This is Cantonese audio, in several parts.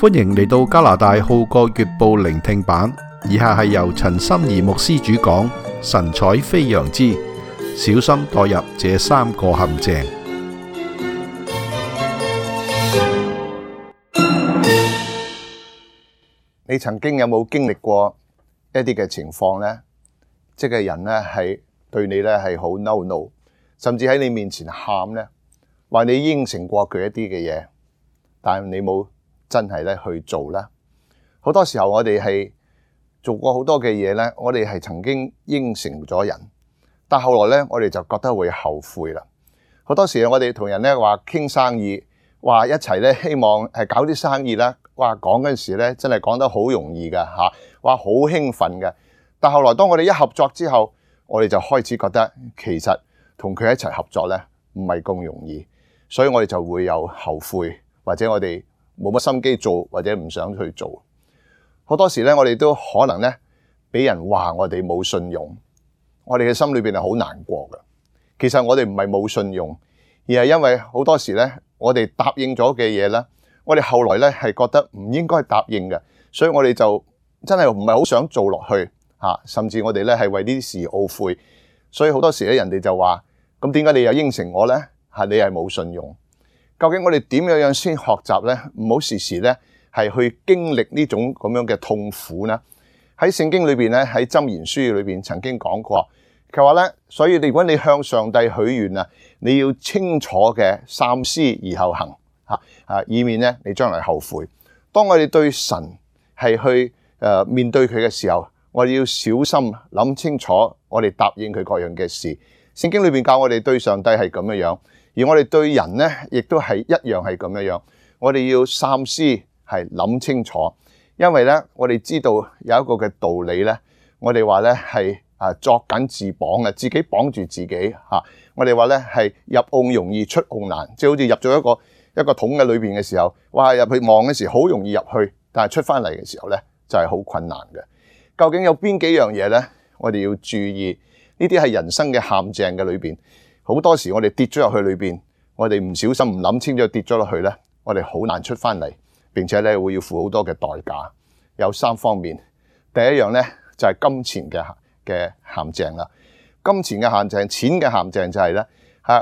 歡迎嚟到加拿大號角月報聆聽版，以下係由陳心怡牧師主講，神采飛揚之小心墮入這三個陷阱。你曾經有冇經歷過一啲嘅情況呢？即係人呢係對你呢係好嬲怒，甚至喺你面前喊呢，話你應承過佢一啲嘅嘢，但係你冇真係咧去做啦。好多時候我哋係做過好多嘅嘢咧，我哋係曾經應承咗人，但後來咧我哋就覺得會後悔啦。好多時我哋同人咧話傾生意，話一齊咧希望係搞啲生意啦，話講嗰陣時咧真係講得好容易噶吓，話好興奮嘅。但後來當我哋一合作之後，我哋就開始覺得其實同佢一齊合作咧唔係咁容易，所以我哋就會有後悔，或者我哋冇乜心機做，或者唔想去做。好多時咧，我哋都可能咧俾人話我哋冇信用，我哋嘅心裏邊係好難過嘅。其實我哋唔係冇信用，而係因為好多時咧，我哋答應咗嘅嘢咧，我哋後來咧係覺得唔應該答應嘅，所以我哋就真係唔係好想做落去吓，甚至我哋咧係為呢啲事懊悔。所以好多時咧，人哋就話：咁點解你又應承我咧？係你係冇信用。究竟我哋點樣先學習咧？唔好時時咧係去經歷呢種咁樣嘅痛苦呢？喺聖經裏邊咧，喺箴言書裏邊曾經講過，佢話咧，所以如果你向上帝許願啊，你要清楚嘅三思而後行以免咧你將來後悔。當我哋對神係去面對佢嘅時候，我哋要小心諗清楚，我哋答應佢各樣嘅事。聖經裏邊教我哋對上帝係咁樣樣。而我哋對人呢，亦都係一樣係咁樣樣。我哋要三思，係諗清楚，因為呢，我哋知道有一個嘅道理呢，我哋話呢係作繭自綁嘅，自己綁住自己吓。我哋話呢係入甕容易出甕難，即係好似入咗一個桶嘅裏邊嘅時候，哇，入去望嘅時候好容易入去，但係出翻嚟嘅時候呢，就係好困難嘅。究竟有邊幾樣嘢呢？我哋要注意，呢啲係人生嘅陷阱嘅裏邊。好多時我哋跌咗入去裏邊，我哋唔小心唔諗清楚跌咗落去咧，我哋好難出翻嚟，並且咧會要付好多嘅代價。有三方面，第一樣咧就係金錢嘅陷阱啦。金錢嘅陷阱，錢嘅陷阱就係咧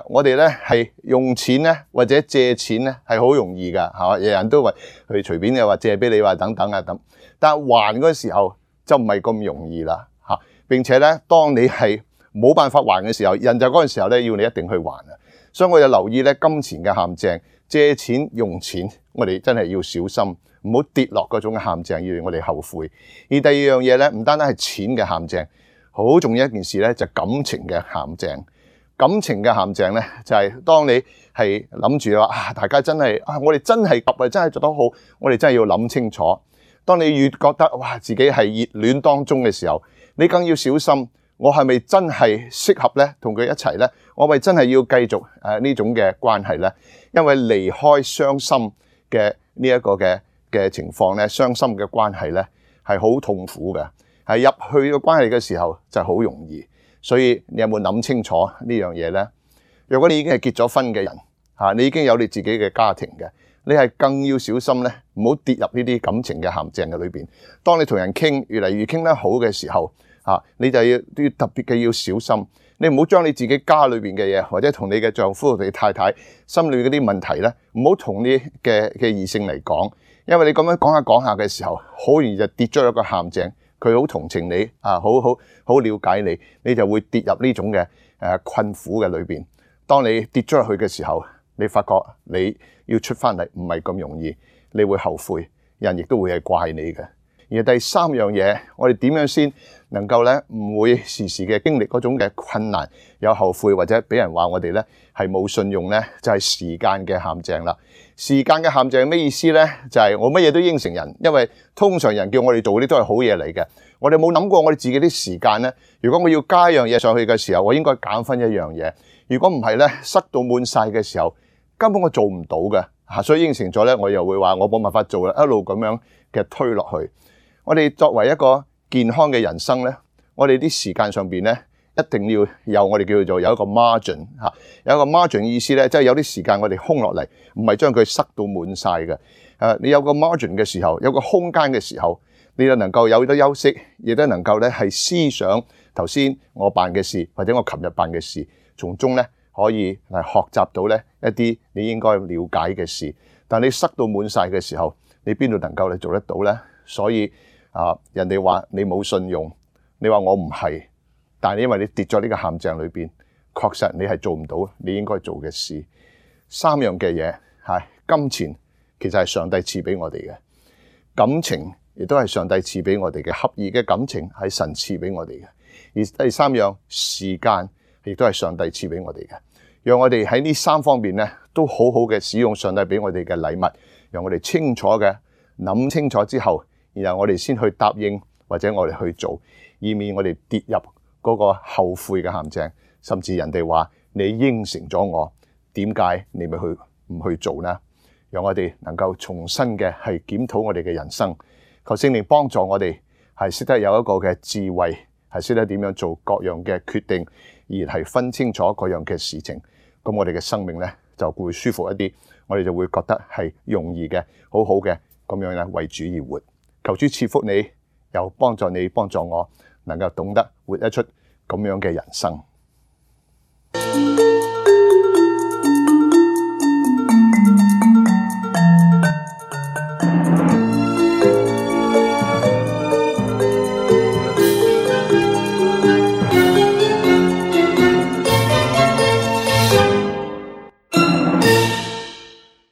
我哋咧係用錢咧或者借錢咧係好容易噶，係嘛？人人都話去隨便嘅話借俾你話等等啊咁，但係還嗰時候就唔係咁容易啦吓，並且咧當你係冇辦法還嘅時候，人就嗰陣時候咧要你一定去還啊！所以我就留意咧金錢嘅陷阱，借錢用錢，我哋真係要小心，唔好跌落嗰種陷阱，要我哋後悔。而第二樣嘢咧，唔單單係錢嘅陷阱，好重要一件事咧就係感情嘅陷阱。感情嘅陷阱咧就係當你係諗住話大家真係我哋真係夾啊，真係做得好，我哋真係要諗清楚。當你越覺得哇自己係熱戀當中嘅時候，你更要小心。我係咪真係適合咧同佢一齊咧？我係咪真係要繼續呢種嘅關係咧？因為離開傷心嘅呢一個嘅情況咧，傷心嘅關係咧係好痛苦嘅，係入去嘅關係嘅時候就好容易。所以你有冇諗清楚呢樣嘢咧？如果你已經係結咗婚嘅人你已經有你自己嘅家庭嘅，你係更要小心咧，唔好跌入呢啲感情嘅陷阱嘅裏邊。當你同人傾越嚟越傾得好嘅時候，你就要特別嘅要小心，你唔好將你自己家裏邊嘅嘢，或者同你嘅丈夫、你太太心裏嗰啲問題咧，唔好同你嘅異性嚟講，因為你咁樣講下嘅時候，好容易就跌咗一個陷阱。佢好同情你好了解你，你就會跌入呢種嘅困苦嘅裏邊。當你跌咗入去嘅時候，你發覺你要出翻嚟唔係咁容易，你會後悔，人亦都會係怪你嘅。而第三樣嘢，我哋點樣先能夠咧唔會時時嘅經歷嗰種嘅困難，有後悔或者俾人話我哋咧係冇信用咧，就係時間嘅陷阱啦。時間嘅陷阱係咩意思咧？就係我乜嘢都應承人，因為通常人叫我哋做嗰啲都係好嘢嚟嘅。我哋冇諗過我哋自己啲時間咧，如果我要加一樣嘢上去嘅時候，我應該減分一樣嘢。如果唔係咧，塞到滿晒嘅時候，根本我做唔到嘅嚇，所以應承咗咧，我又會話我冇辦法做啦，一路咁樣嘅推落去。我哋作為一個健康嘅人生咧，我哋啲時間上邊咧一定要有我哋叫做有一個 margin 嚇，有一個 margin 意思咧，即係有啲時間我哋空落嚟，唔係將佢塞到滿晒嘅。你有個 margin 嘅時候，有個空間嘅時候，你就能夠有得休息，亦都能夠咧係思想頭先我辦嘅事，或者我琴日辦嘅事，從中咧可以係學習到咧一啲你應該了解嘅事。但你塞到滿晒嘅時候，你邊度能夠你做得到咧？所以人哋話你冇信用，你話我唔係，但係因為你跌咗呢個陷阱裏邊，確實你係做唔到你應該做嘅事。三樣嘅嘢係金錢，其實係上帝賜俾我哋嘅；感情亦都係上帝賜俾我哋嘅，合意嘅感情係神賜俾我哋嘅。而第三樣時間亦都係上帝賜俾我哋嘅。讓我哋喺呢三方面咧，都好好嘅使用上帝俾我哋嘅禮物，讓我哋清楚嘅諗清楚之後，然後我哋先去答應或者我哋去做，以免我哋跌入嗰個後悔嘅陷阱，甚至人哋話你應承咗我，點解你咪唔去做呢？讓我哋能夠重新嘅係檢討我哋嘅人生，求聖靈幫助我哋係識得有一個嘅智慧，係識得點樣做各樣嘅決定，而係分清楚各樣嘅事情。咁我哋嘅生命咧就會舒服一啲，我哋就會覺得係容易嘅、好好嘅咁樣咧為主而活。求主賜福你，又幫助你、幫助我，能夠懂得活一出咁樣嘅人生。